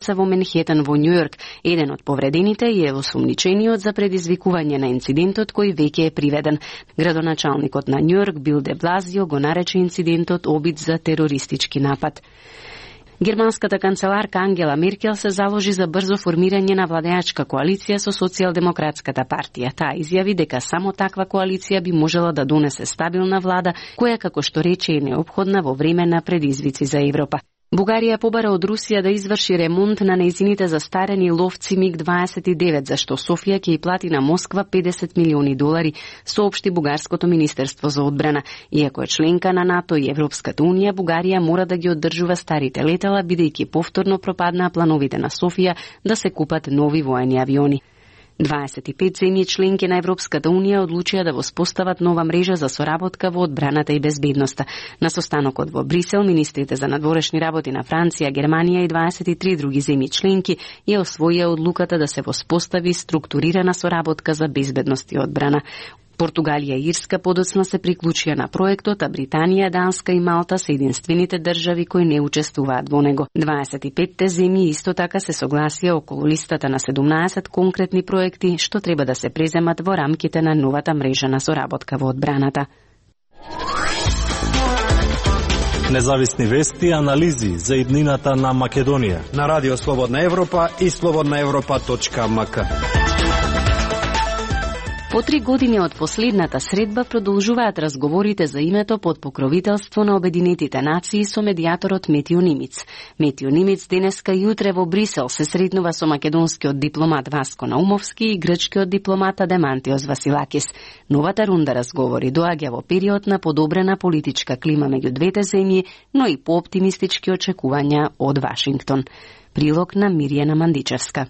во Менхетен во Њујорк. Еден од повредените е осумничениот за предизвикување на инцидентот кој веќе е приведен. Градоначалникот на Њујорк Бил де Блазио го нарече инцидентот обид за терористички напад. Германската канцеларка Ангела Меркел се заложи за брзо формирање на владеачка коалиција со Социјалдемократската партија. Таа изјави дека само таква коалиција би можела да донесе стабилна влада, која, како што рече, е неопходна во време на предизвици за Европа. Бугарија побара од Русија да изврши ремонт на нејзините застарени ловци МиГ-29, зашто Софија ќе ја плати на Москва $50 милиони, соопшти Бугарското министерство за одбрана. Иако е членка на НАТО и Европската унија, Бугарија мора да ги оддржува старите летала, бидејќи повторно пропаднаа плановите на Софија да се купат нови воени авиони. 25 земји членки на Европската унија одлучија да воспостават нова мрежа за соработка во одбраната и безбедноста. На состанокот во Брисел, министрите за надворешни работи на Франција, Германија и 23 други земји членки ја освоија одлуката да се воспостави структурирана соработка за безбедност и одбрана. Португалија и Ирска подоцна се приклучија на проектот, а Британија, Данска и Малта се единствените држави кои не учествуваат во него. 25 земји исто така се согласија околу листата на 17 конкретни проекти што треба да се преземат во рамките на новата мрежа на соработка во одбраната. Независни вести и анализи за иднината на Македонија на Радио Слободна Европа и slobodnaevropa.mk. По 3 години од последната средба продолжуваат разговорите за името под покровителство на Обединетите нации со медијаторот Метјо Нимиц. Метјо Нимиц денеска и утре во Брисел се сретнува со македонскиот дипломат Васко Наумовски и грчкиот дипломат Адемантиос Василакис. Новата рунда разговори доаѓа во период на подобрена политичка клима меѓу двете земји, но и пооптимистички очекувања од Вашингтон. Прилог на Миријана Мандичевска.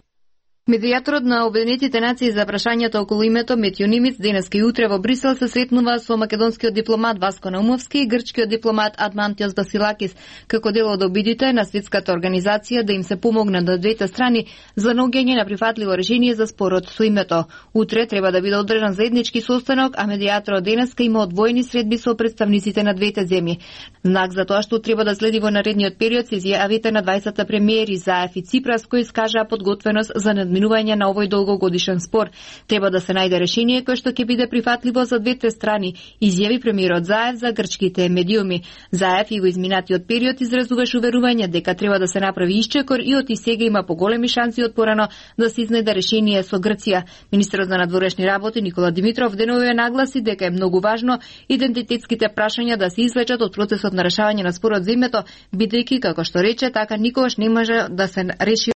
Медијаторот на Обединетите нации за прашањата околу името Метјо Нимиц денеска и утре во Брисел се сретнува со македонскиот дипломат Васко Наумовски и грчкиот дипломат Адмантиос Василакис, како дел од обидите на светската организација да им се помогне на двете страни за наоѓање на прифатливо решение за спорот со името. Утре треба да биде одржан заеднички состанок, а медијаторот денеска има одвоени средби со представниците на двете земји. Знак за тоа што треба да следи во наредниот период се изјавите на 20 премиери Заев и Ципрас, кои искажаа подготвеност за надминување на овој долгогодишен спор. Треба да се најде решение кое што ќе биде прифатливо за двете страни, изјави премиерот Заев за грчките медиуми. Заев и во изминатиот период изразуваше уверување дека треба да се направи исчекор и од и сега има поголеми шанси од порано да се изнајде решение со Грција. Министерот за надворешни работи Никола Димитров деновиве нагласи дека е многу важно идентитетските прашања да се извлечат од процесот на решавање на спорот за името, бидејќи, како што рече, така никогаш не може да се реши